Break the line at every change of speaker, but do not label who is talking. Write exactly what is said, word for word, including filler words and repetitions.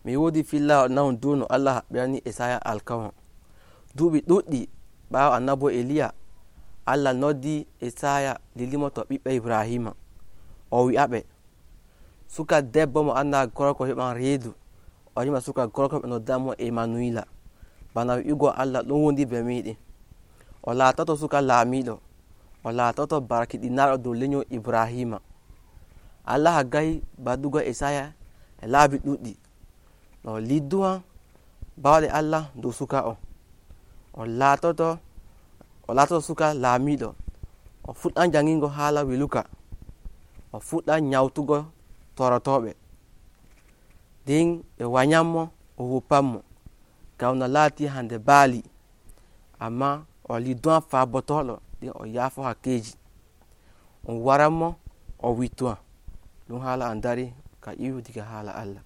mi wodi filla nahon dow no Allah haɓɓirani Isaya alkawal duuɓi ɗuɗɗi ɓaawo annabo Eliya. Allah noddi Isaya lilimo to ɓiɓɓe Ibrahima o wi'aɓe suka debbo mo anda gorko heɓan reedu o rima suka gorko ɓe noddamo Emanuila bana wi'ugo Allah ɗon wondi be miɗin. O laatoto suka laamiɗo, o laatoto barkiɗinaaɗo dow lenyol Ibrahima. Allah haggai baddugo Isaya e laabi ɗuɗɗi no lidduwan bawɗe Allah dow suka o. O laatoto o laatoto suka laamiɗo, o fuɗɗan jangingo haala weluka, o fuɗɗan nyawtugo torotoɓe, nden ɓe wanyanmo o woppanmo ngam no laati hande baali, amma o lidduwan faabotoɗo nden o yaafo hakkeji, on waranmo o wittuwan. ɗum haala an dari ka iwu diga haala Allah.